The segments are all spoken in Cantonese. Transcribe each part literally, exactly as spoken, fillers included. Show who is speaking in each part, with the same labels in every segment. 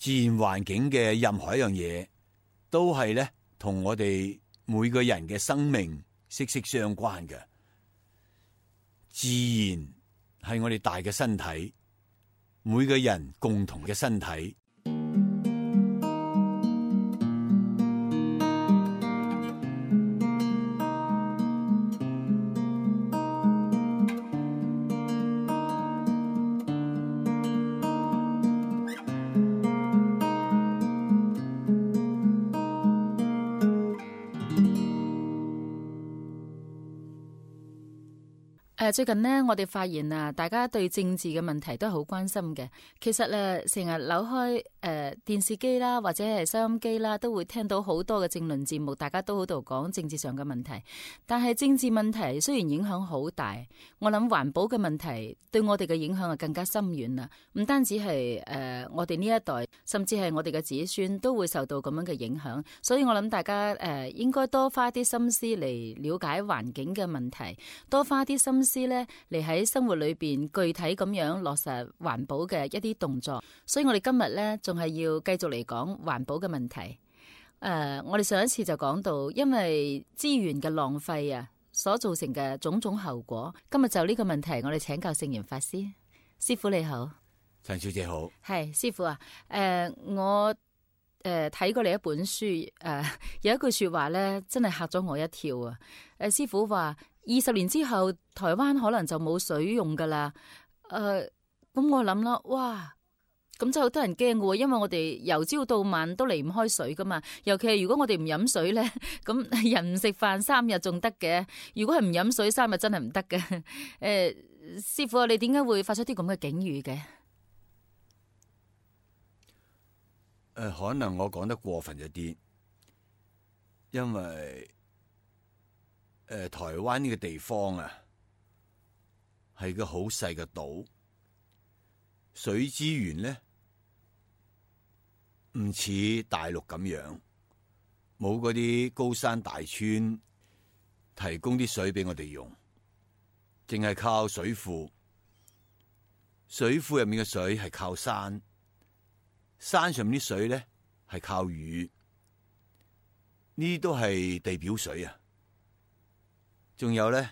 Speaker 1: 自然環境嘅任何一樣嘢，都係咧同我哋每個人嘅生命息息相關嘅。自然係我哋大嘅身體，每個人共同嘅身體。
Speaker 2: 誒，最近呢，我哋發現啊，大家對政治嘅問題都係好關心嘅。其實誒，成日扭開誒、呃、電視機啦，或者係收音機啦，都會聽到好多嘅政論節目，大家都喺度講政治上嘅問題。但係政治問題雖然影響好大，我諗環保嘅問題對我哋嘅影響係更加深遠啦。唔單止係誒、呃、我哋呢一代，甚至係我哋嘅子孫都會受到咁樣嘅影響。所以我諗大家誒、呃、應該多花啲心思嚟了解環境嘅問題，多花啲心思咧嚟喺生活裏邊具體咁樣落實環保嘅一啲動作。所以我哋今日咧仲係要繼續嚟講環保嘅問題。誒、呃，我哋上一次就講到，因為資源嘅浪費啊，所造成嘅種種後果。今日就呢個問題，我哋請教聖嚴法師。師父你好。
Speaker 1: 陳小姐好。
Speaker 2: 係師父啊。誒、呃，我誒睇、呃、過你一本書，誒、呃、有一句說話咧，真係嚇咗我一跳啊。誒、呃，師父話二十年之後，台灣可能就冇水用噶啦。誒、呃，咁我諗啦，哇！咁真係好多人驚嘅，因為我哋由朝到晚都離唔開水噶嘛。尤其係如果我哋唔飲水咧，咁人唔食飯三日仲得嘅。如果係唔飲水三日真係唔得嘅。誒、呃，師父啊，你點解會發出啲咁嘅警語嘅？誒、
Speaker 1: 呃，可能我講得過分咗啲，因為誒、呃、台灣呢個地方啊，係個好細嘅島，水資源咧唔似大陸咁樣，冇嗰啲高山大川提供啲水俾我哋用，淨係靠水庫。水庫入面嘅水係靠山，山上面啲水咧係靠雨，呢啲都係地表水啊。仲有咧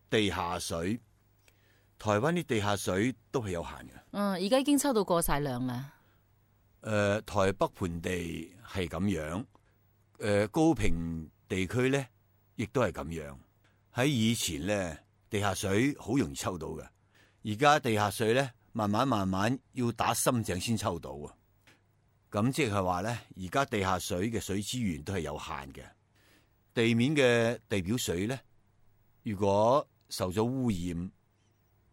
Speaker 1: 地下水，台灣啲地下水都係有限嘅。
Speaker 2: 嗯，而家已經抽到過晒量啦。
Speaker 1: 誒、呃，台北盆地係咁樣，誒、呃，高屏地區咧，亦都係咁樣。喺以前咧，地下水好容易抽到嘅，而家地下水咧，慢慢慢慢要打深井先抽到啊。咁即係話咧，而家地下水嘅水資源都係有限嘅。地面嘅地表水咧，如果受咗污染，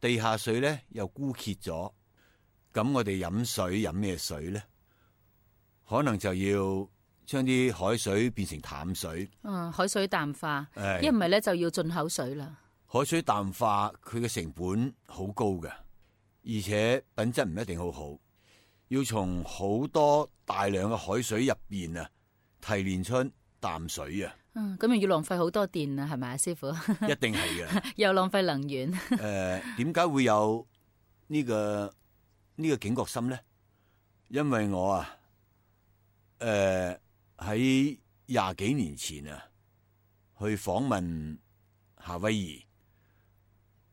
Speaker 1: 地下水咧又枯竭咗，咁我哋飲水飲咩水咧？可能就要將啲海水變成淡水。嗯，
Speaker 2: 海水淡化，
Speaker 1: 誒，
Speaker 2: 一唔係咧就要進口水啦。
Speaker 1: 海水淡化佢嘅成本好高嘅，而且品質唔一定好好，要從好多大量嘅海水入邊啊提煉出淡水啊。
Speaker 2: 嗯，咁又要浪費好多電啊，係咪啊，師父？
Speaker 1: 一定係嘅，
Speaker 2: 又浪費能源。
Speaker 1: 誒、呃，點解會有呢、這個呢、這個警覺心咧？因為我啊，誒喺廿幾年前啊，去訪問夏威夷，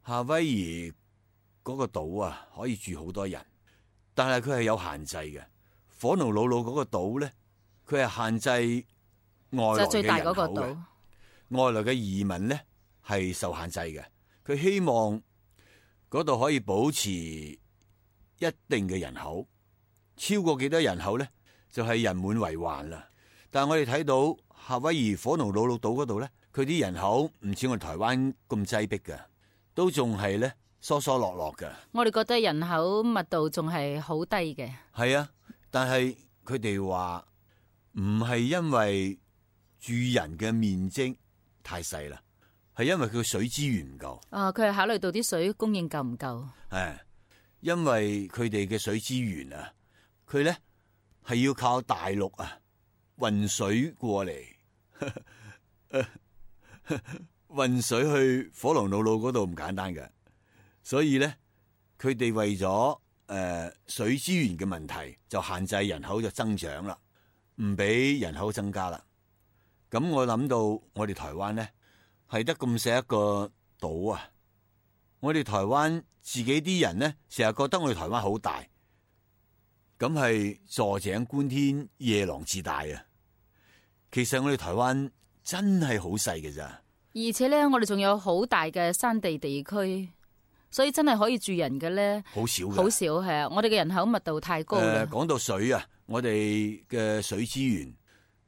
Speaker 1: 夏威夷嗰個島啊，可以住好多人，但係佢係有限制嘅。火奴魯魯嗰個島咧，佢係限制外來嘅人口嘅，就最大嗰個島，外來嘅移民咧係受限制嘅。佢希望嗰度可以保持一定嘅人口，超過幾多人口咧，就係、是、人滿為患啦。但係我哋睇到夏威夷火奴魯魯島嗰度咧，佢啲人口唔似我哋台灣咁擠迫嘅，都仲係咧疏疏落落嘅。
Speaker 2: 我哋覺得人口密度仲係好低嘅。
Speaker 1: 係啊，但係佢哋話唔係因為住人嘅面積太細啦，係因為佢水資源唔夠。
Speaker 2: 啊，佢係考慮到啲水供應夠唔夠？
Speaker 1: 係，因為佢哋嘅水資源啊，佢咧係要靠大陸啊運水過嚟，運水去火奴魯魯嗰度唔簡單嘅，所以咧佢哋為咗誒水資源嘅問題，就限制人口就增長啦，唔俾人口增加啦。咁我諗到我哋台灣咧係得咁細一個島啊，我哋台灣自己啲人咧成日覺得我哋台灣好大，咁係坐井觀天，夜郎自大啊。其實我哋台灣真係好細嘅咋，
Speaker 2: 而且咧我哋仲有好大嘅山地地區。所以真係可以住人嘅咧，
Speaker 1: 好少嘅，
Speaker 2: 好少係啊！我哋嘅人口密度太高啦。
Speaker 1: 講、呃、到水啊，我哋嘅水資源，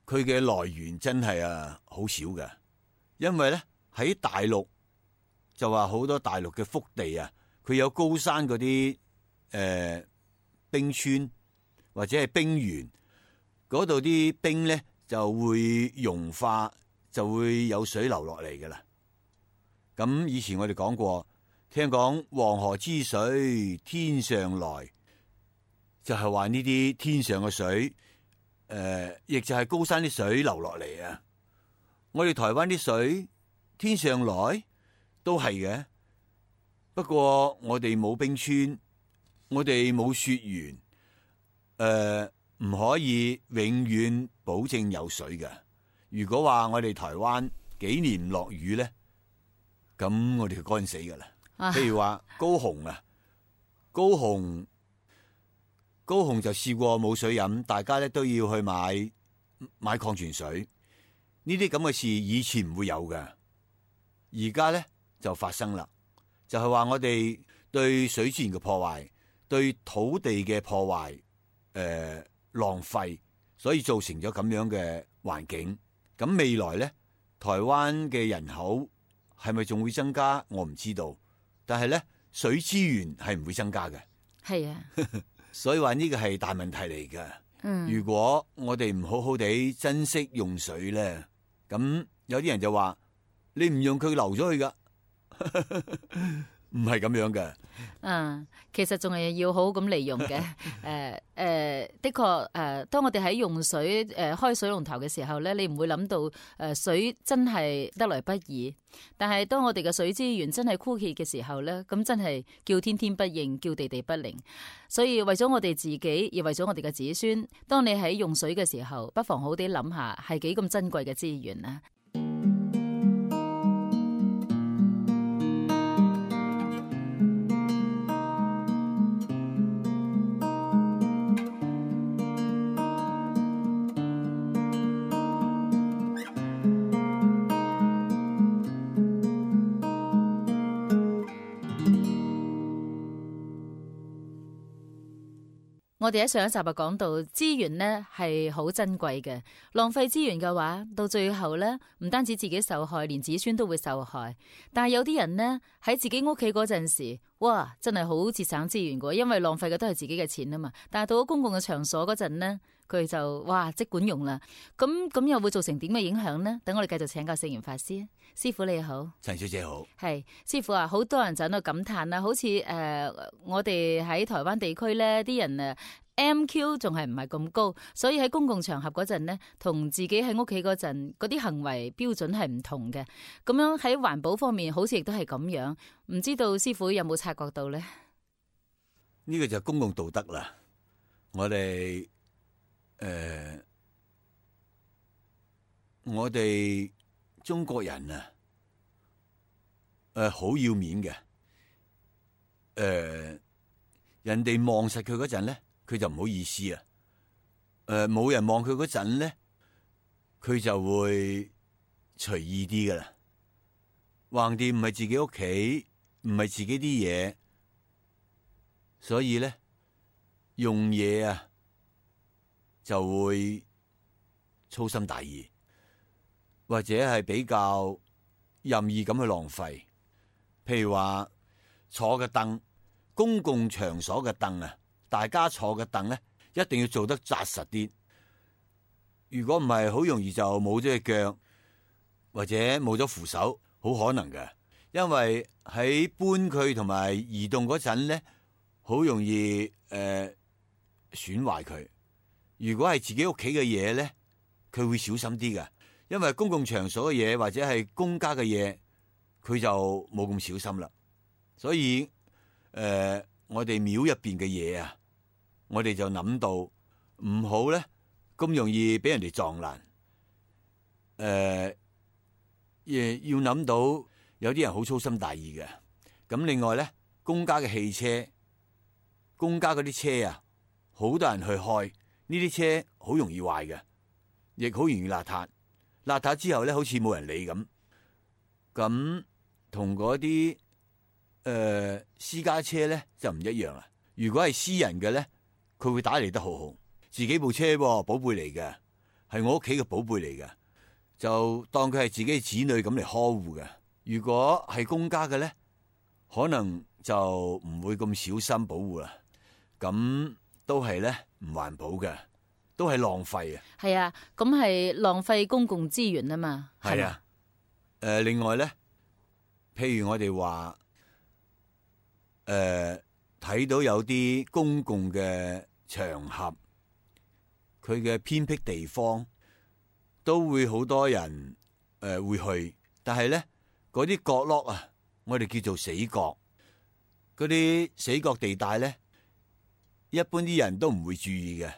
Speaker 1: 佢嘅來源真係啊好少嘅，因為咧喺大陸就話好多大陸嘅腹地啊，佢有高山嗰啲誒冰川或者係冰原，嗰度啲冰咧就會融化，就會有水流落嚟噶啦。咁以前我哋講過。聽講黃河之水天上來，就係話呢啲天上嘅水，誒、呃，亦就係高山啲水流落嚟啊！我哋台灣啲水天上來都係嘅，不過我哋冇冰川，我哋冇雪原，誒、呃，唔可以永遠保證有水嘅。如果話我哋台灣幾年唔落雨咧，咁我哋就乾死噶啦。譬如話高雄啊，高雄高雄就試過冇水飲，大家咧都要去買買礦泉水。呢啲咁嘅事以前唔會有嘅，而家咧就發生啦。就係話我哋對水資源嘅破壞，對土地嘅破壞，誒、呃、浪費，所以造成咗咁樣嘅環境。咁未來咧，台灣嘅人口係咪仲會增加？我唔知道。但係咧，水資源係唔會增加嘅。係啊，所以話呢個係大問題嚟㗎。嗯，如果我哋唔好好地珍惜用水咧，咁有啲人就話你唔用佢流咗去噶，唔係咁樣嘅。
Speaker 2: 嗯，其實仲係要好好咁利用嘅。誒誒、呃呃，的確誒、呃，當我哋喺用水誒、呃、開水龍頭嘅時候咧，你唔會諗到誒、呃、水真係得來不易。但係當我哋嘅水資源真係枯竭嘅時候咧，咁真係叫天天不應，叫地地不靈。所以為咗我哋自己，亦為咗我哋嘅子孫，當你喺用水嘅時候，不妨好啲諗下，係幾咁珍貴嘅資源啊！我哋喺上一集就講到資源呢係好珍貴嘅，浪費資源嘅話，到最後呢唔單止自己受害，連子孫都會受害。但係有啲人呢喺自己屋企嗰陣時，哇，真係好節省資源嘅，因為浪費嘅都係自己嘅錢啊嘛。但係到咗公共嘅場所嗰陣呢，佢就哇即管用啦。咁咁又會造成點嘅影響呢？等我哋繼續請教聖嚴法師。師父你好，
Speaker 1: 陳小姐好。係
Speaker 2: 師父啊，好多人就喺度感嘆啦，好似誒、呃、我哋喺台灣地區咧，啲人誒 M Q 仲係唔係咁高，所以喺公共場合嗰陣呢，同自己喺屋企嗰陣嗰啲行為標準係唔同嘅。咁樣喺環保方面，好似亦都係咁樣。唔知道師父有冇察覺到咧？
Speaker 1: 呢個就係公共道德啦。我哋誒、呃，我哋。中國人啊，誒、呃，好要面嘅，誒、呃，人哋望實佢嗰陣咧，佢就唔好意思啊，誒、呃，冇人望佢嗰陣咧，佢就會隨意啲噶啦，橫掂唔係自己屋企，唔係自己啲嘢，所以咧用嘢啊就會粗心大意。或者係比較任意咁去浪費，譬如話坐嘅凳，公共場所嘅凳啊，大家坐嘅凳咧，一定要做得紮實啲。如果唔係，好容易就冇咗隻腳，或者冇咗扶手，好可能嘅。因為喺搬佢同埋移動嗰陣咧，好容易誒損壞佢。如果係自己屋企嘅嘢咧，佢會小心啲嘅。因為公共場所嘅嘢或者係公家嘅嘢，佢就冇咁小心啦。所以誒、呃，我哋廟入邊嘅嘢啊，我哋就諗到唔好咧咁容易俾人哋撞爛。誒、呃，亦要諗到有啲人好粗心大意嘅。咁另外咧，公家嘅汽車，公家嗰啲車啊，好多人去開，呢啲車好容易壞嘅，亦好容易邋遢。邋遢之後咧，好似冇人理咁。咁同嗰啲誒私家車咧就唔一樣啦。如果係私人嘅咧，佢會打理得好好。自己部車寶貝嚟嘅，係我屋企嘅寶貝嚟嘅，就當佢係自己子女咁嚟呵護嘅。如果係公家嘅咧，可能就唔會咁小心保護啦。咁都係咧唔環保嘅，都係浪費啊。係
Speaker 2: 啊，咁係浪費公共資源啊嘛。
Speaker 1: 係啊。誒、呃，另外咧，譬如我哋話，誒、呃，睇到有啲公共嘅場合，佢嘅偏僻地方，都會好多人誒、呃、會去，但係咧嗰啲角落啊，我哋叫做死角，嗰啲死角地帶咧，一般啲人都唔會注意嘅，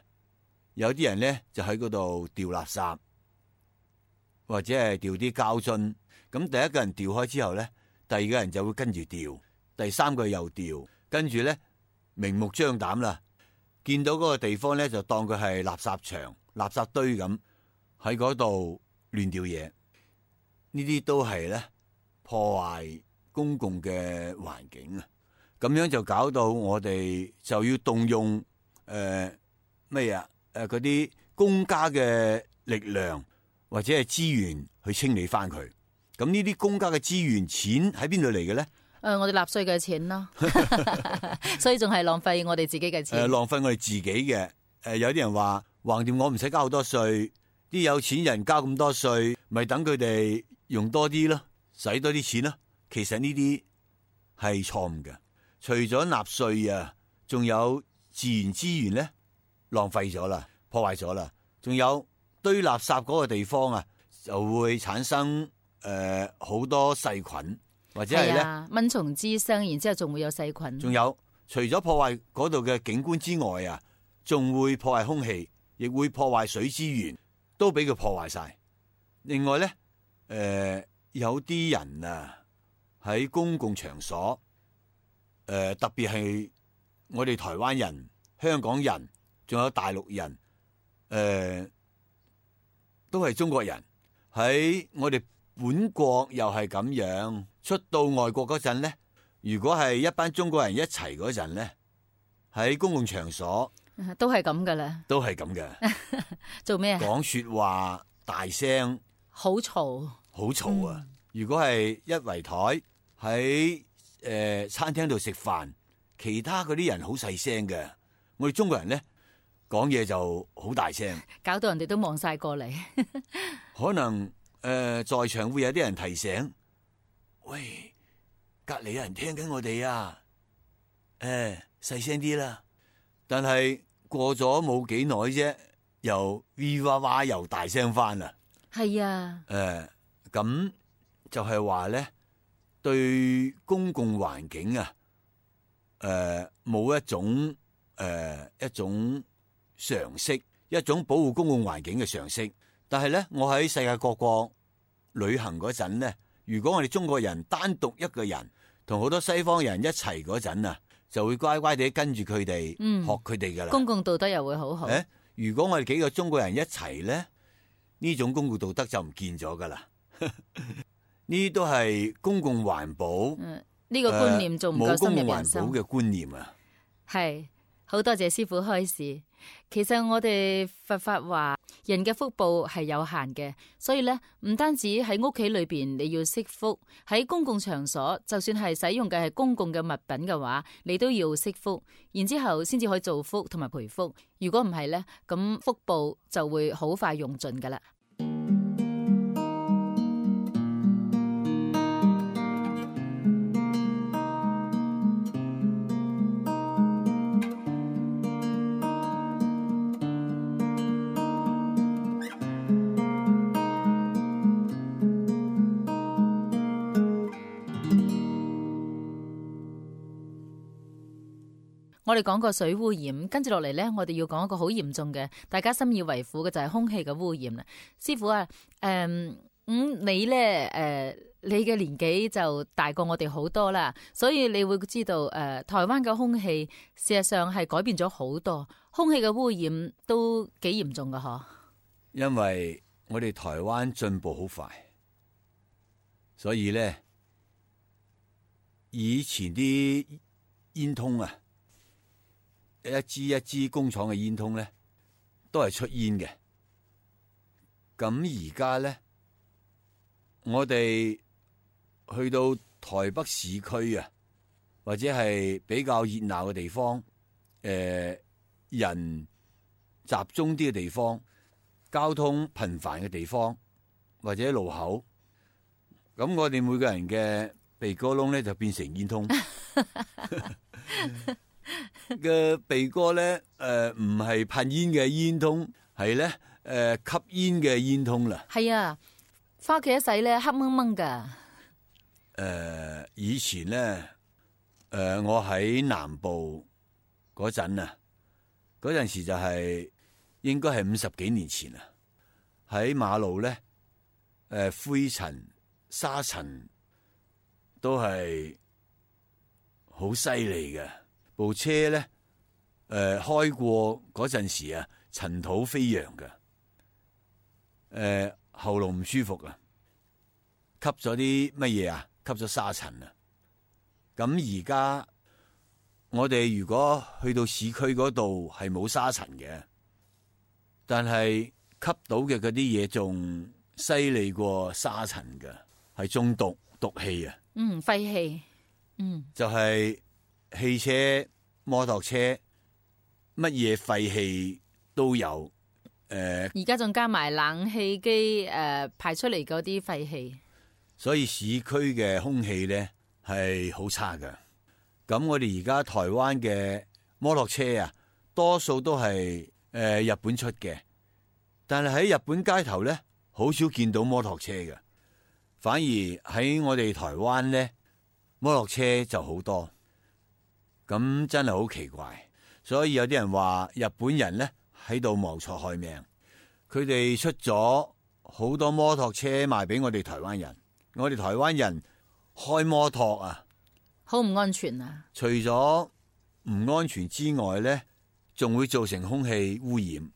Speaker 1: 有啲人咧就喺嗰度掉垃圾，或者係掉啲膠樽。咁第一個人掉開之後咧，第二個人就會跟住掉，第三個又掉，跟住咧明目張膽啦，見到嗰個地方咧就當佢係垃圾場、垃圾堆咁喺嗰度亂掉嘢，呢啲都係咧破壞公共嘅環境啊！咁樣就搞到我哋就要動用誒咩啊誒嗰啲公家嘅力量或者係資源去清理翻佢。咁呢啲公家嘅資源錢喺邊度嚟嘅咧？誒、
Speaker 2: 呃，我哋納稅嘅錢咯，所以仲係浪費我哋自己嘅錢。誒、
Speaker 1: 呃，浪費我哋自己嘅。誒、呃，有啲人話橫掂我唔使交好多稅，啲有錢人交咁多稅，咪等佢哋用多啲咯，使多啲錢咯。其實呢啲係錯誤嘅。除咗納稅啊，仲有自然資源咧浪費咗啦，破壞咗啦。仲有堆垃圾嗰個地方啊，就會產生。誒、呃，好多細菌或者係咧
Speaker 2: 蚊蟲滋生，然之後仲會有細菌。
Speaker 1: 仲有，除咗破壞嗰度嘅景觀之外啊，仲會破壞空氣，亦會破壞水資源，都俾佢破壞晒。另外咧，誒、呃，有啲人啊喺公共場所，誒、呃，特別係我哋台灣人、香港人，仲有大陸人，誒、呃，都係中國人喺我哋。本國又係咁樣，出到外國嗰陣咧，如果係一班中國人一齊嗰陣咧，喺公共場所
Speaker 2: 都係咁噶啦，
Speaker 1: 都係咁嘅。
Speaker 2: 做咩啊？
Speaker 1: 講說話大聲，
Speaker 2: 好嘈，
Speaker 1: 好嘈啊！嗯、如果係一圍台喺誒餐廳度食飯，其他嗰啲人好細聲嘅，我哋中國人咧講嘢就好大聲，
Speaker 2: 搞到人哋都望晒過嚟，
Speaker 1: 可能。誒、呃，在場會有啲人提醒，喂，隔籬有人聽緊我哋啊，誒、呃，細聲啲啦。但係過咗冇幾耐啫，又嗚哇哇又大聲翻啦。係啊，誒、呃，咁就係話咧，對公共環境啊，誒、呃，冇一種誒、呃、一種常識，一種保護公共環境嘅常識。但係咧，我喺世界各國旅行嗰陣咧，如果我哋中國人單獨一個人同好多西方人一齊嗰陣啊，就會乖乖地跟住佢哋，嗯、學佢哋噶啦。公共道德又會好好。誒，如果我哋幾個中國人一齊咧，呢種公共道德就唔見咗噶啦。呢都係公共環保，呢、嗯呢個觀念仲唔夠深入人心。冇公共環保嘅觀念啊，係好多謝師父開示。其實我哋佛法話人嘅福報係有限嘅，所以咧唔單止喺屋企裏邊你要積福，喺公共場所就算係使用嘅係公共嘅物品嘅話，你都要積福，然之後先至可以造福同埋培福。如果唔係咧，咁福報就會好快用盡噶啦。
Speaker 2: 我哋講過水污染，跟住落嚟咧，我哋要講一個好嚴重嘅，大家深以為苦嘅就係空氣嘅污染啦。師傅啊，誒、嗯，咁你咧，誒、呃，你嘅年紀就大過我哋好多啦，所以你會知道，誒、呃，台灣嘅空氣事實上係改變咗好多，空氣嘅污染都幾嚴重噶，嗬。
Speaker 1: 因為我哋台灣進步好快，所以咧，以前啲煙通啊。一支一支工廠嘅煙通咧，都係出煙嘅。咁而家咧，我哋去到台北市區啊，或者係比較熱鬧嘅地方，誒、呃，人集中啲嘅地方，交通頻繁嘅地方，或者路口，咁我哋每個人嘅鼻哥窿咧就變成煙通。嘅鼻哥咧，誒唔係噴煙嘅煙通，係咧誒吸煙嘅煙通啦。係
Speaker 2: 啊，翻屋企一洗咧黑掹掹噶。誒、
Speaker 1: 呃，以前咧，誒、呃、我喺南部嗰陣啊，嗰陣時就係、是、應該係五十幾年前啊，喺馬路咧，誒、呃、灰塵沙塵都係好犀利嘅。部車咧，誒、呃、開過嗰陣時啊，塵土飛揚嘅，誒、呃、喉嚨唔舒服啊，吸咗啲乜嘢啊？吸咗沙塵啊！咁而家我哋如果去到市區嗰度係冇沙塵嘅，但係吸到嘅嗰啲嘢仲犀利過沙塵嘅，係中毒毒氣啊！
Speaker 2: 嗯，廢氣，嗯，
Speaker 1: 就係、是。汽車、摩托車，乜嘢廢氣都有。誒、呃，
Speaker 2: 而家仲加埋冷氣機誒排出嚟嗰啲廢氣，
Speaker 1: 所以市區嘅空氣咧係好差㗎。咁我哋而家台灣嘅摩托車啊，多數都係誒、呃、日本出嘅，但係喺日本街頭咧，好少見到摩托車嘅，反而喺我哋台灣咧，摩托車就好多。咁真係好奇怪，所以有啲人話日本人咧喺度謀財害命，佢哋出咗好多摩托車賣俾我哋台灣人，我哋台灣人開摩托啊，
Speaker 2: 好唔安全啊！
Speaker 1: 除咗唔安全之外咧，仲會造成空氣污染。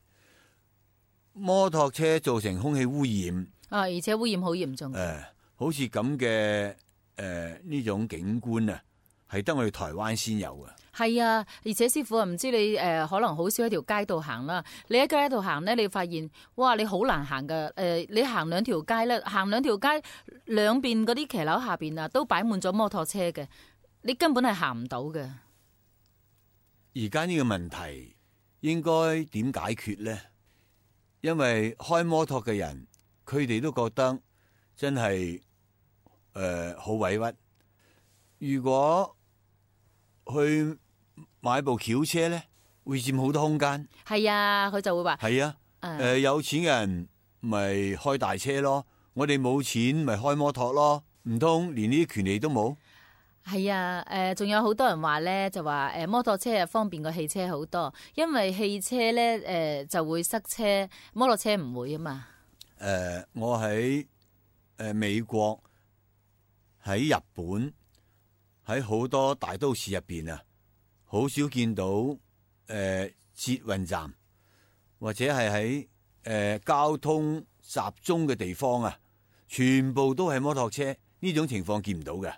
Speaker 1: 摩托車造成空氣污染
Speaker 2: 啊，而且污染好嚴重。誒、
Speaker 1: 呃，好似咁嘅誒呢種景觀啊，係得我哋台灣先有嘅。
Speaker 2: 係啊，而且師傅啊，唔知你誒、呃、可能好少喺條街度行啦。你喺街度行咧，你發現哇，你好難行噶。誒、呃，你行兩條街咧，行兩條街兩邊嗰啲騎樓下邊啊，都擺滿咗摩托車嘅，你根本係行唔到嘅。
Speaker 1: 而家呢個問題應該點解決咧？因為開摩托嘅人，佢哋都覺得真係誒好委屈。如果去買部轎車咧，會佔好多空間。係
Speaker 2: 啊，佢就會話
Speaker 1: 係啊，誒、uh, 呃、有錢嘅人咪開大車咯，我哋冇錢咪開摩托咯，唔通連呢啲權利都冇？
Speaker 2: 係啊，誒、呃，仲有好多人話咧，就話誒摩托車係方便過汽車好多，因為汽車咧誒、呃、就會塞車，摩托車唔會啊嘛。
Speaker 1: 誒、呃，我喺誒、呃、美國，喺日本，喺好多大都市入邊啊，好少見到誒、呃、捷運站，或者係喺誒交通集中嘅地方啊，全部都係摩托車，呢種情況見唔到嘅。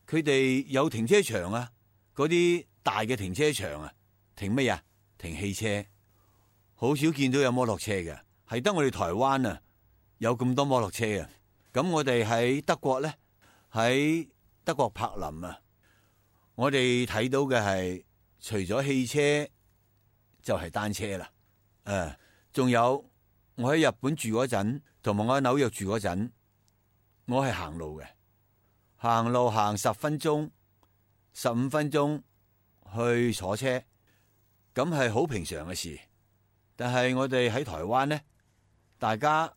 Speaker 1: 佢哋有停車場啊，嗰啲大嘅停車場啊，停乜呀？停汽車，好少見到有摩托車嘅，係得我哋台灣啊有咁多摩托車啊。咁我哋喺德國咧，喺德國柏林啊，我哋睇到嘅係除咗汽車就係單車啦。誒、啊，仲有我喺日本住嗰陣，同埋我喺紐約住嗰陣，我係行路嘅。行路行十分鐘、十五分鐘去坐車，咁係好平常嘅事。但係我哋喺台灣咧，大家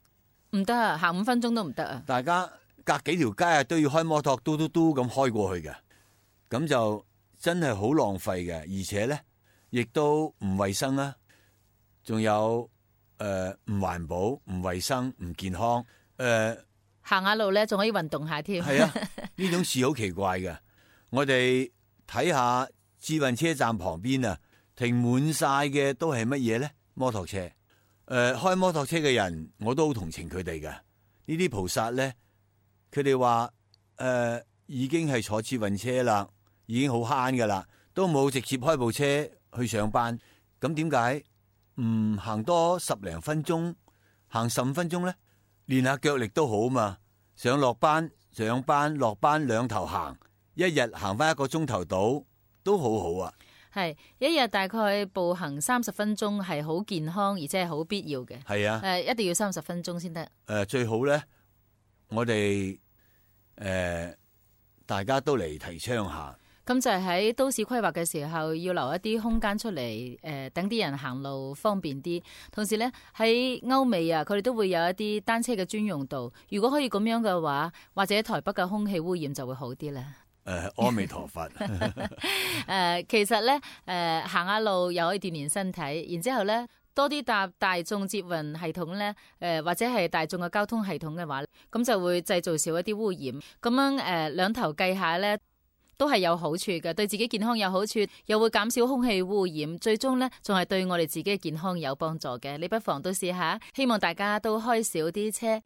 Speaker 2: 唔得啊，行五分鐘都唔得啊！
Speaker 1: 大家隔幾條街啊都要開摩托嘟嘟嘟咁開過去嘅，咁就真係好浪費嘅，而且咧亦都唔衛生啊，仲有誒唔環保、唔衛生、唔健康。誒、呃、
Speaker 2: 行下路咧，仲可以運動下添。
Speaker 1: 係啊，呢種事好奇怪嘅。我哋睇下智運車站旁邊啊，停滿晒嘅都係乜嘢咧？摩托車。誒、呃，開摩托車嘅人，我都好同情佢哋嘅。呢啲菩薩咧，佢哋話誒已經係坐智運車啦，已經好慳噶啦，都冇直接開部車去上班。咁點解唔行多十零分鐘，行十五分鐘咧？練下腳力都好嘛。上落班、上班、落班兩頭行，一日行翻一個鐘頭到，都好好啊。
Speaker 2: 係一日大概步行三十分鐘，係好健康，而且係好必要嘅。
Speaker 1: 係啊，
Speaker 2: 誒，一定要三十分鐘先得。
Speaker 1: 誒，最好咧，我哋誒、呃、大家都嚟提倡下。
Speaker 2: 咁就係喺都市規劃嘅時候，要留一啲空間出嚟，誒、呃，等啲人行路方便啲。同時咧，喺歐美啊，佢哋都會有一啲單車嘅專用道。如果可以咁樣嘅話，或者台北嘅空氣污染就會好啲啦。
Speaker 1: 誒、呃，阿彌陀佛。
Speaker 2: 誒、呃，其實咧，誒、呃，行下路又可以鍛煉身體，然之後咧，多啲搭大眾捷運系統咧，誒、呃，或者係大眾嘅交通系統嘅話，咁就會製造少一啲污染。咁樣誒，兩、呃、頭計下咧，都係有好處嘅，對自己健康有好處，又會減少空氣污染，最終咧仲係對我哋自己嘅健康有幫助嘅。你不妨都試下，希望大家都開少啲車。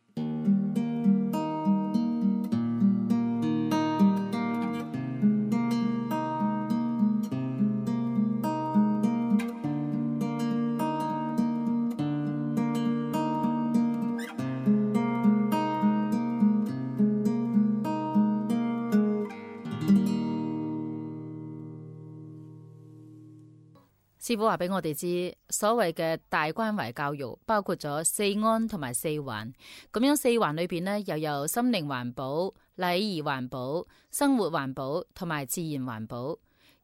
Speaker 2: 師傅話俾我哋知，所謂嘅大關懷教育包括咗四安同埋四環。咁樣四環裏邊呢，又有心靈環保、禮儀環保、生活環保同埋自然環保。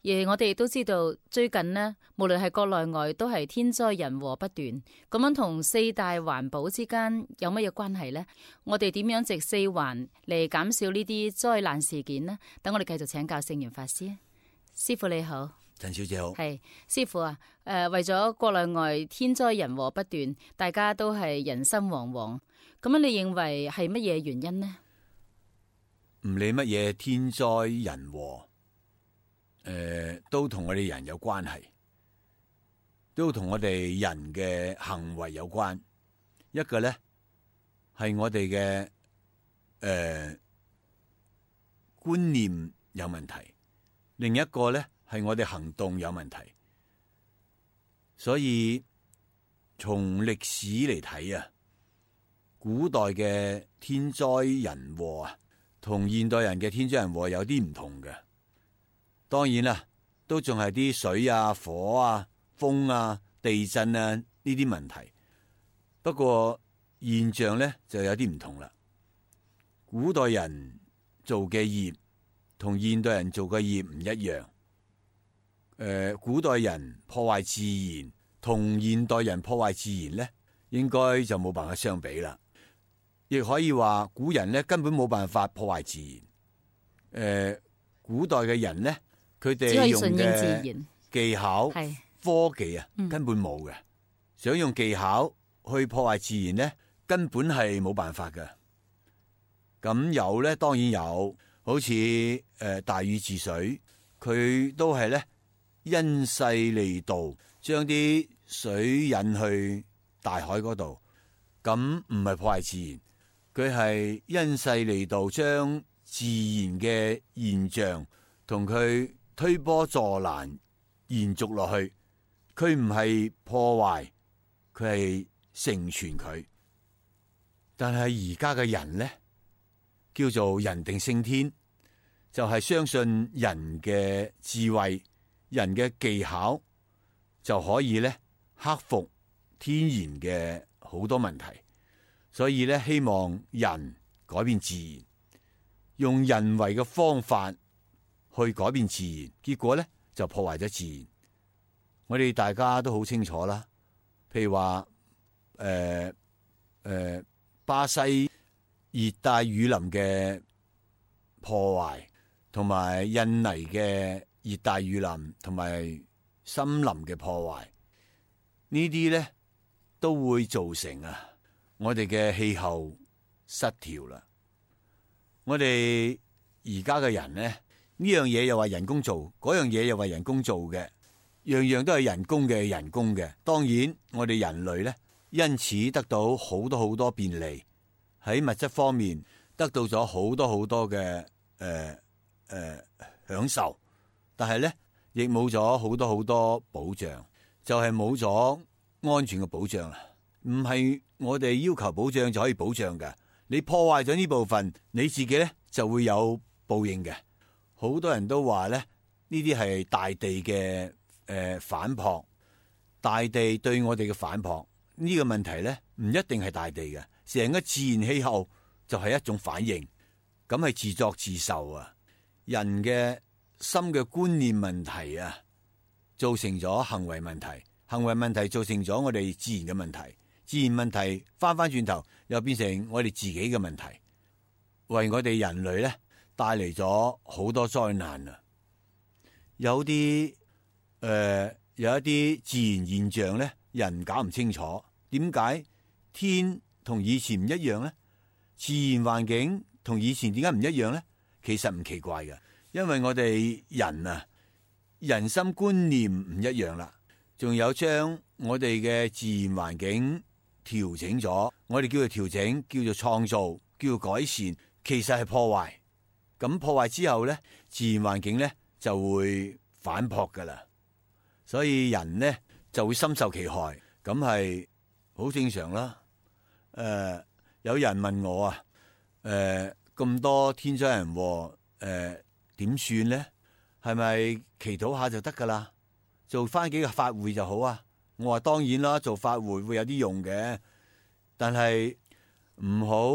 Speaker 2: 而我哋亦都知道，最近呢，無論係國內外都係天災人禍不斷。咁樣同四大環保之間有乜嘢關係呢？我哋點樣藉四環嚟減少呢啲災難事件呢？等我哋繼續請教聖嚴法師。師傅你好。
Speaker 1: 陳小姐好。
Speaker 2: 係師傅啊，誒、呃，為咗國內外天災人禍不斷，大家都係人心惶惶。咁樣你認為係乜嘢原因呢？
Speaker 1: 唔理乜嘢天災人禍，誒、呃，都同我哋人有關係，都同我哋人嘅行為有關。一個咧係我哋嘅誒觀念有問題，另一個咧係我哋行動有問題。所以從歷史嚟睇啊，古代嘅天災人禍啊，同現代人嘅天災人禍有啲唔同嘅。當然啦，都仲係啲水啊、火啊、風啊、地震啊呢啲問題。不過現象咧就有啲唔同啦。古代人做嘅業同現代人做嘅業唔一樣。誒、呃，古代人破壞自然同現代人破壞自然咧，應該就冇辦法相比啦。亦可以話古人咧根本冇辦法破壞自然。誒、呃，古代嘅人咧，佢哋用嘅技巧、科技啊，根本冇嘅。嗯、想用技巧去破壞自然咧，根本係冇辦法嘅。咁有咧，當然有，好似誒、呃、大禹治水，佢都係咧因勢利導，將啲水引去大海嗰度。咁唔係破壞自然，佢係因勢利導，將自然嘅現象同佢推波助瀾，延續落去。佢唔係破壞，佢係成全佢。但係而家嘅人咧，叫做人定勝天，就係相信人嘅智慧、人嘅技巧就可以咧克服天然嘅好多問題。所以咧，希望人改變自然，用人為嘅方法去改變自然，結果咧就破壞咗自然。我哋大家都好清楚啦，譬如話誒誒巴西熱帶雨林嘅破壞，同埋印尼嘅熱帶雨林同埋森林嘅破壞，呢啲咧都會造成啊我哋嘅氣候失調啦。我哋而家嘅人咧，呢樣嘢又話人工做，嗰樣嘢又話人工做嘅，樣樣都係人工嘅人工嘅。當然我哋人類咧，因此得到好多好多便利，喺物質方面得到咗好多好多嘅誒誒享受，但係咧亦冇咗好多好多保障，就係冇咗安全嘅保障啦。唔係我哋要求保障就可以保障嘅，你破壞咗呢部分，你自己咧就會有報應嘅。好多人都話咧，呢啲係大地嘅誒、呃、反撲，大地對我哋嘅反撲。呢個問題咧唔一定係大地嘅，成個自然氣候就係一種反應，咁係自作自受啊！人嘅心嘅觀念問題啊，造成咗行為問題，行為問題造成咗我哋自然嘅問題，自然問題翻翻轉頭又變成我哋自己嘅問題，為我哋人類咧帶嚟咗好多災難啊！有啲誒、呃，有一啲自然現象咧。人搞唔清楚，點解天同以前唔一樣呢？自然環境同以前點解唔一樣呢？其實唔奇怪嘅，因為我哋人啊，人心觀念唔一樣啦，仲有將我哋嘅自然環境調整咗，我哋叫做調整，叫做創造，叫做改善，其實係破壞。咁破壞之後呢，自然環境呢就會反撲噶啦，所以人呢就會深受其害，咁係好正常啦。誒、呃，有人問我啊，誒、呃、咁多天災人禍，誒點算咧？係咪祈禱下就得噶啦？做翻幾個法會就好啊？我話當然啦，做法會會有啲用嘅，但係唔好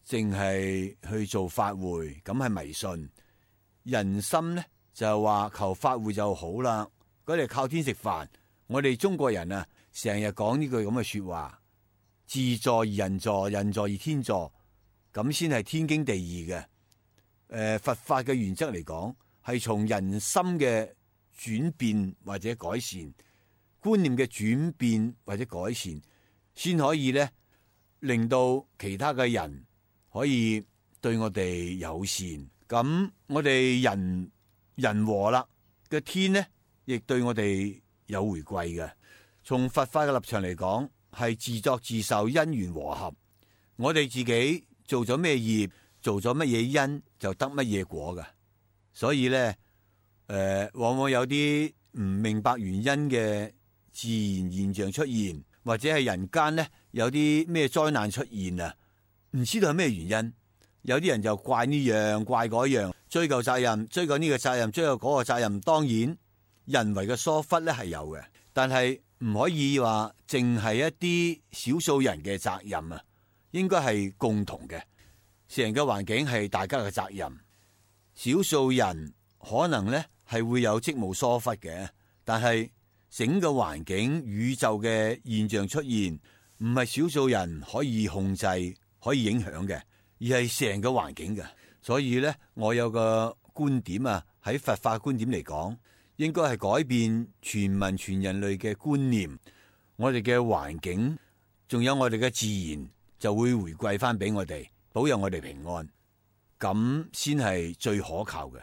Speaker 1: 淨係去做法會，咁係迷信。人心咧就係話求法會就好啦，嗰啲靠天食飯。我哋中國人啊，成日講呢句咁嘅說話，自助而人助，人助而天助，咁先係天經地義嘅。誒、呃，佛法嘅原則嚟講，係從人心嘅轉變或者改善，觀念嘅轉變或者改善，先可以咧令到其他嘅人可以對我哋友善。咁我哋人人和啦嘅天呢，亦對我哋有回饋嘅。從佛法嘅立場嚟講，係自作自受，因緣和合。我哋自己做咗咩業，做咗乜嘢因，就得乜嘢果㗎。所以咧，誒、呃，往往有啲唔明白原因嘅自然現象出現，或者係人間咧有啲咩災難出現啊，唔知道係咩原因。有啲人就怪呢樣怪嗰樣，追究責任，追究呢個責任，追究嗰個責任。當然，人為嘅疏忽咧係有嘅，但係唔可以話淨係一啲少數人嘅責任啊，應該係共同嘅。成個環境係大家嘅責任，少數人可能咧係會有職務疏忽嘅，但係整個環境宇宙嘅現象出現，唔係少數人可以控制、可以影響嘅，而係成個環境嘅。所以咧，我有個觀點啊，喺佛法觀點嚟講，應該係改變全民全人類嘅觀念，我哋嘅環境，仲有我哋嘅自然，就會回饋翻俾我哋，保佑我哋平安，咁先係最可靠嘅。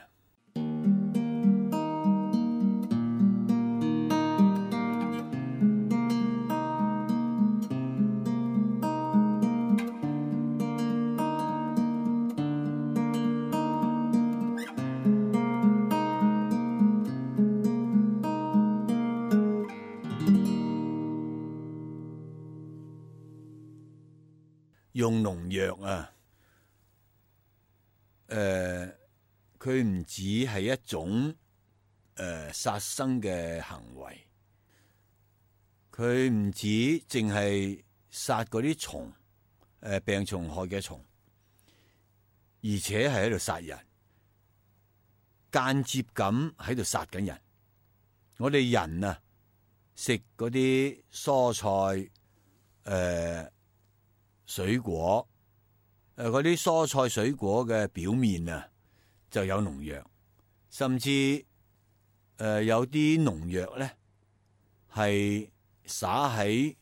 Speaker 1: 用農藥啊，誒、呃，佢唔止係一種誒、呃、殺生嘅行為，佢唔止淨係殺嗰啲蟲，誒、呃、病蟲害嘅蟲，而且係喺度殺人，間接咁喺度殺緊人。我哋人啊，食嗰啲蔬菜，誒、呃。水果，誒，嗰啲蔬菜水果嘅表面啊，就有農藥，甚至呃、有啲農藥咧係灑喺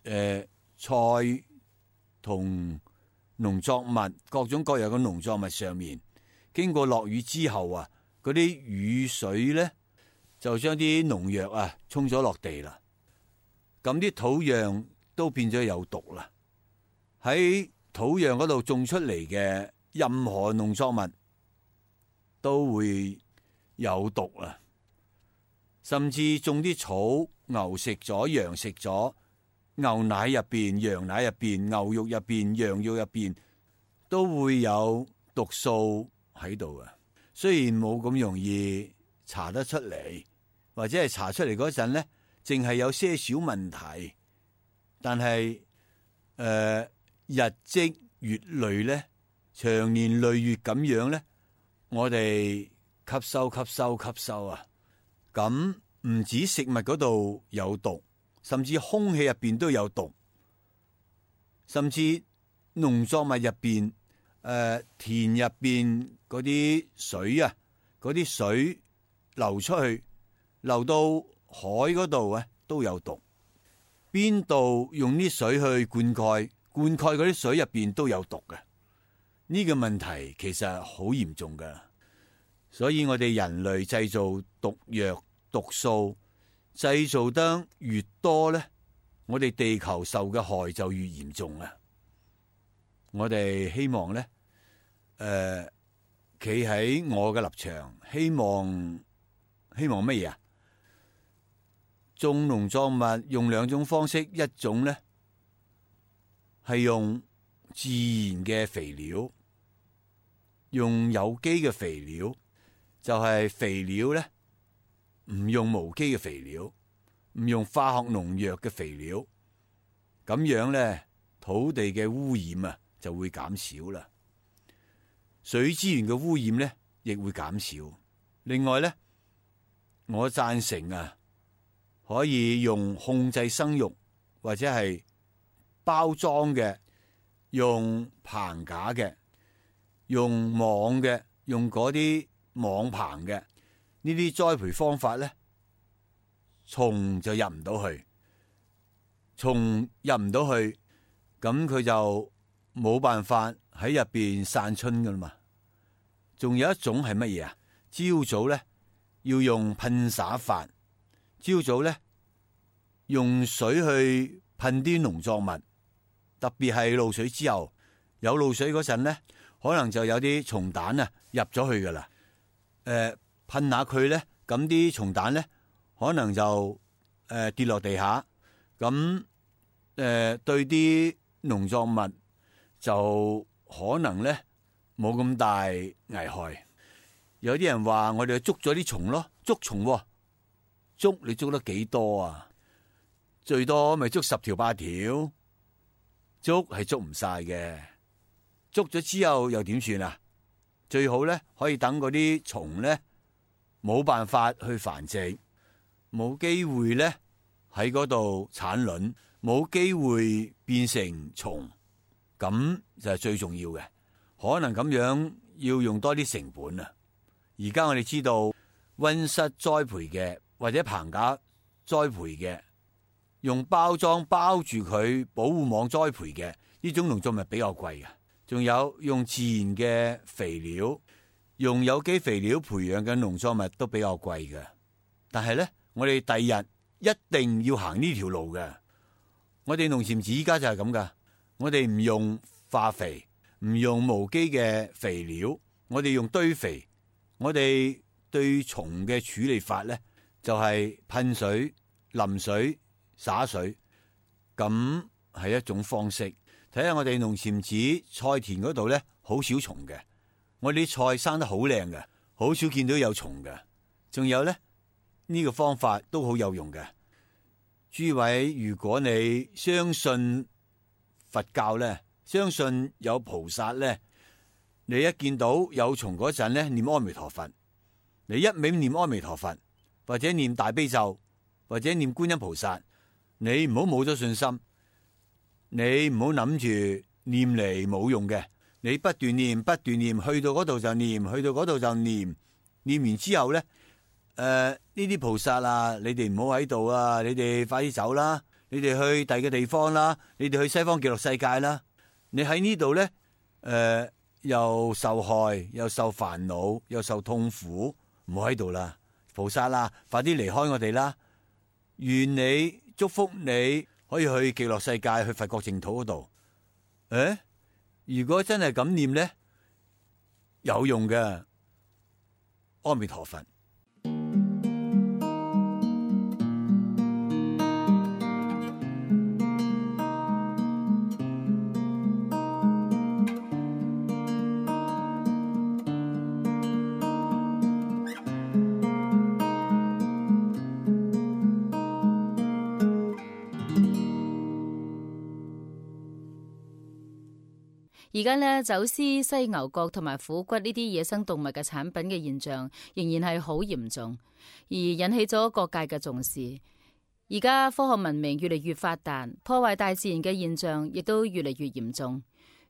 Speaker 1: 誒菜同農作物各種各樣嘅農作物上面，經過落雨之後啊，嗰啲雨水咧就將啲農藥啊沖咗落地啦，咁啲土壤都變咗有毒啦。喺土壤嗰度種出嚟嘅任何農作物都會有毒啊，甚至種啲草，牛食咗，羊食咗，牛奶入邊、羊奶入邊、牛肉入邊、羊肉入邊都會有毒素喺度啊。雖然冇咁容易查得出嚟，或者係查出嚟嗰陣咧，淨係有些少問題，但係誒、呃、日積月累咧，長年累月咁樣咧，我哋吸收、吸收、吸收啊，咁唔止食物嗰度有毒，甚至空氣入邊都有毒，甚至農作物入邊、誒田入邊嗰啲水啊，嗰啲水流出去，流到海嗰度啊，都有毒。邊度用啲水去灌溉，灌溉嗰啲水入邊都有毒嘅。呢個問題其實好嚴重噶，所以我哋人類製造毒藥、毒素製造得越多咧，我哋地球受嘅害就越嚴重啊！我哋希望咧，誒，企喺我嘅立場，希望希望乜嘢啊？種農作物用兩種方式，一種咧係用自然嘅肥料，用有機嘅肥料，就係肥料咧唔用無機嘅肥料，唔用化學農藥嘅肥料，咁樣咧土地嘅污染啊就會減少啦，水資源嘅污染咧亦會減少。另外咧，我贊成啊，可以用控制生育或者係包裝嘅，用棚架嘅，用網嘅，用嗰啲網棚嘅呢啲栽培方法咧，蟲就入唔到去，蟲入唔到去，咁佢就冇辦法喺入邊散春噶啦嘛。仲有一種係乜嘢啊？朝早咧要用噴灑法，朝早咧用水去噴啲農作物，特別係露水之後，有露水嗰陣咧，可能就有啲蟲蛋啊入咗去噶啦。誒、呃，噴下佢咧，咁啲蟲蛋咧可能就誒、呃、跌落地下，咁誒、呃、對啲農作物就可能咧冇咁大危害。有啲人話我哋捉咗啲蟲咯，捉蟲、哦，捉你捉得幾多啊？最多咪捉十條八條，捉係捉唔晒嘅。捉咗之後又點算啊？最好咧可以等嗰啲蟲咧冇辦法去繁殖，冇機會咧喺嗰度產卵，冇機會變成蟲，咁就係最重要嘅。可能咁樣要用多啲成本啊！而家我哋知道溫室栽培嘅或者棚架栽培嘅，用包裝包住佢保護網栽培嘅呢種農作物比較貴嘅。仲有用自然嘅肥料，用有機肥料培養嘅農作物都比較貴嘅。但係咧，我哋第日一定要行呢條路嘅。我哋農禪寺依家就係咁噶，我哋唔用化肥，唔用無機嘅肥料，我哋用堆肥。我哋對蟲嘅處理法咧，就係噴水、淋水、灑水，咁係一種方式。睇下我哋農禪寺菜田嗰度咧，好少蟲嘅。我哋啲菜生得好靚嘅，好少見到有蟲嘅。仲有咧，呢個方法都好有用嘅。諸位，如果你相信佛教咧，相信有菩薩咧，你一見到有蟲嗰陣咧，念阿彌陀佛，你一味念阿彌陀佛，或者念大悲咒，或者念觀音菩薩，你唔好冇咗信心，你唔好諗住念嚟冇用嘅，你不斷念不斷念，去到嗰度就念，去到嗰度就念，念完之後咧，呢啲菩薩啊，你哋唔好喺度啊，你哋快啲走啦，你哋去第二個地方啦，你哋去西方極樂世界啦。你喺呢度咧，誒、呃、又受害，又受煩惱，又受痛苦，唔好喺度啦，菩薩啦，快啲離開我哋啦！願你祝福你可以去極樂世界，去佛國淨土嗰度。誒，如果真係咁念咧，有用嘅。阿彌陀佛。
Speaker 2: 而家呢，走私犀牛角同埋虎骨呢啲野生動物嘅產品嘅現象仍然係好嚴重，而引起咗各界嘅重視。而家科學文明越嚟越發達，破壞大自然嘅現象亦都越嚟越嚴重。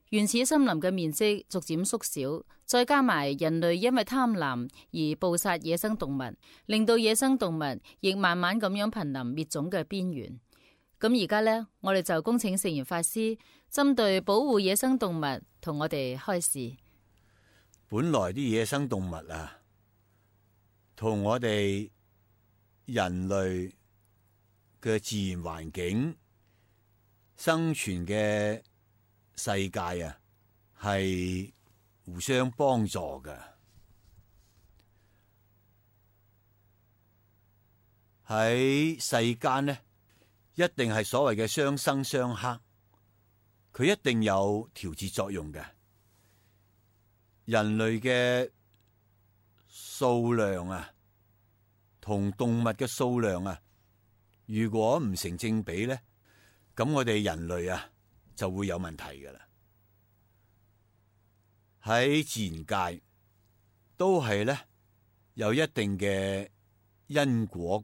Speaker 2: 原始森林嘅面積逐漸縮小，再加埋人類因為貪婪而捕殺野生動物，令到野生動物亦慢慢咁樣瀕臨滅種嘅邊緣。咁而家呢，我哋就恭請聖嚴法師針對保護野生動物同我哋開示。
Speaker 1: 本來啲野生動物啊，同我哋人類嘅自然環境生存嘅世界啊，係互相幫助嘅。喺世間呢，一定係所謂嘅相生相克，佢一定有調節作用嘅。人類嘅數量啊，同動物嘅數量啊，如果唔成正比咧，咁我哋人類啊就會有問題噶啦。喺自然界都係咧有一定嘅因果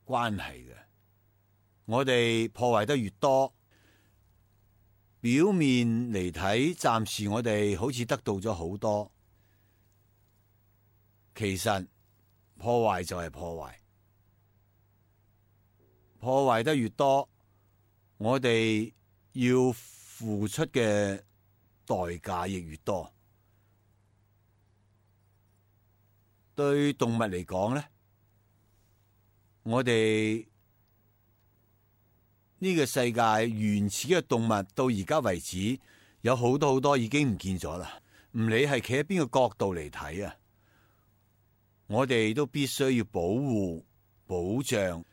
Speaker 1: 關係嘅。我哋破壞得越多，表面嚟睇，暫時我哋好似得到咗好多，其實破壞就係破壞，破壞得越多，我哋要付出嘅代價亦越多。對動物嚟講咧，我哋呢個世界原始嘅動物到而家為止，有好多好多已經唔見咗啦。唔理係企喺邊個角度嚟睇啊，我哋都必須要保護、保障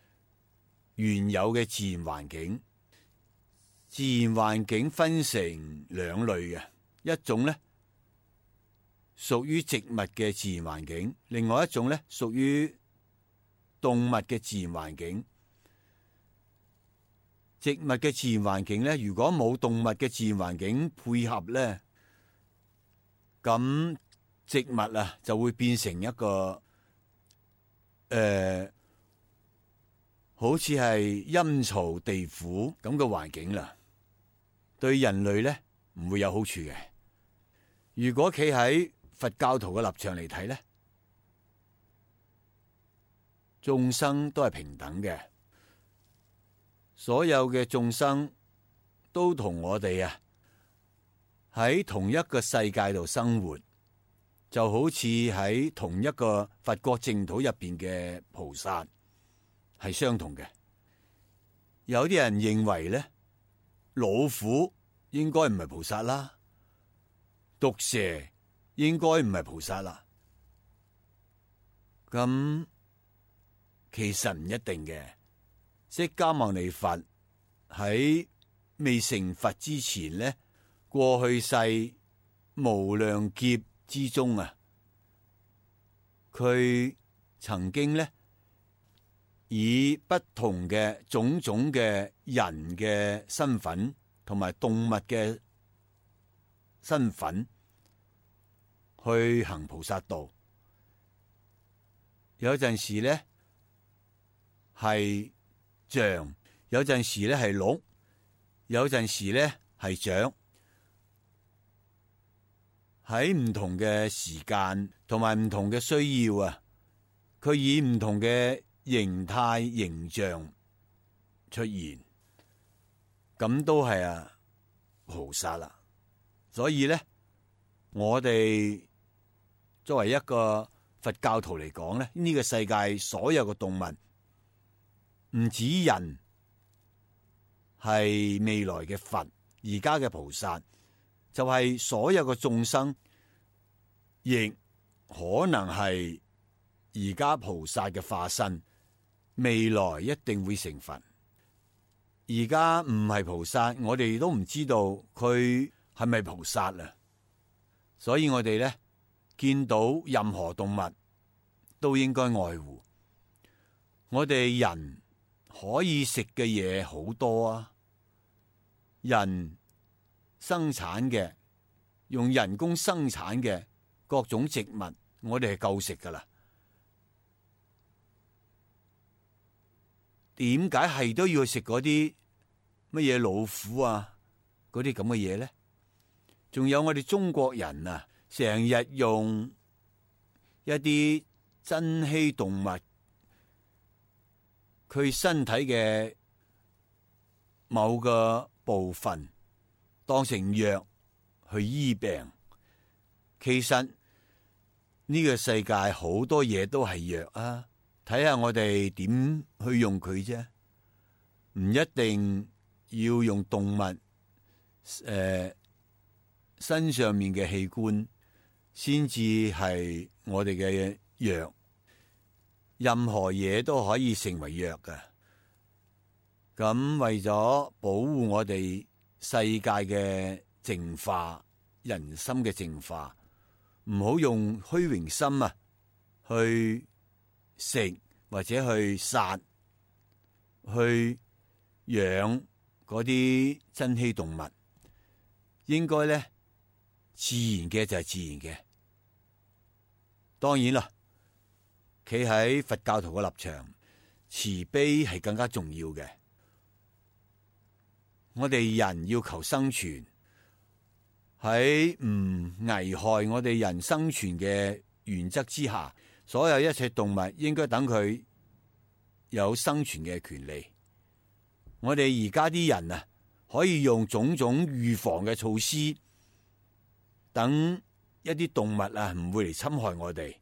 Speaker 1: 原有嘅自然環境。自然環境分成兩類嘅，一種咧屬於植物嘅自然環境，另外一種咧屬於動物嘅自然環境。植物嘅自然環境咧，如果冇動物嘅自然環境配合咧，咁植物啊就會變成一個誒、呃，好似係陰曹地府咁嘅環境啦。對人類咧唔會有好處嘅。如果企喺佛教徒嘅立場嚟睇咧，眾生都係平等嘅。所有嘅眾生都同我哋啊喺同一個世界度生活，就好似喺同一個佛國淨土入邊嘅菩薩係相同嘅。有啲人認為咧，老虎應該唔係菩薩啦，毒蛇應該唔係菩薩啦。咁其實唔一定嘅。釋迦牟尼佛喺未成佛之前咧，過去世無量劫之中啊，佢曾經咧以不同嘅種種嘅人嘅身份同埋動物嘅身份去行菩薩道。有陣時咧係象，有陣時咧係鹿，有陣時咧係象。喺唔同嘅時間同埋唔同嘅需要啊，佢以唔同嘅形態形象出現，咁都係啊菩薩啦。所以咧，我哋作為一個佛教徒嚟講咧，呢個世界所有嘅動物，唔止人係未來嘅佛，而家嘅菩薩，就係所有嘅眾生，亦可能係而家菩薩嘅化身，未來一定會成佛。而家唔係菩薩，我哋都唔知道佢係咪菩薩啊？所以我哋咧見到任何動物都應該愛護。我哋人可以食嘅嘢好多啊，人生產嘅用人工生產嘅各種植物，我哋係夠食噶啦。點解係都要去食嗰啲乜嘢老虎啊？嗰啲咁嘅嘢咧？仲有我哋中國人啊，成日用一啲珍稀動物，佢身體嘅某個部分當成藥去醫病。其實呢個世界好多嘢都係藥啊！睇下我哋點去用佢啫，唔一定要用動物誒、呃、身上面嘅器官先至係我哋嘅藥，任何嘢都可以成為藥㗎。咁為咗保護我哋世界嘅淨化、人心嘅淨化，唔好用虛榮心啊去食或者去殺去養嗰啲珍稀動物，應該咧自然嘅就係自然嘅。當然啦，企喺佛教徒嘅立場，慈悲係更加重要嘅。我哋人要求生存，喺唔危害我哋人生存嘅原則之下，所有一切動物應該等佢有生存嘅權利。我哋而家啲人啊，可以用種種預防嘅措施，等一啲動物啊唔會嚟侵害我哋。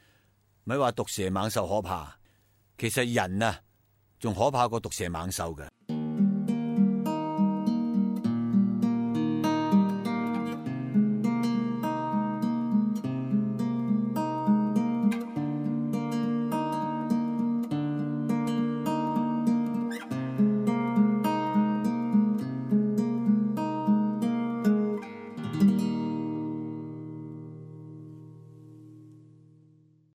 Speaker 1: 咪話毒蛇猛獸可怕，其實人啊仲可怕過毒蛇猛獸嘅。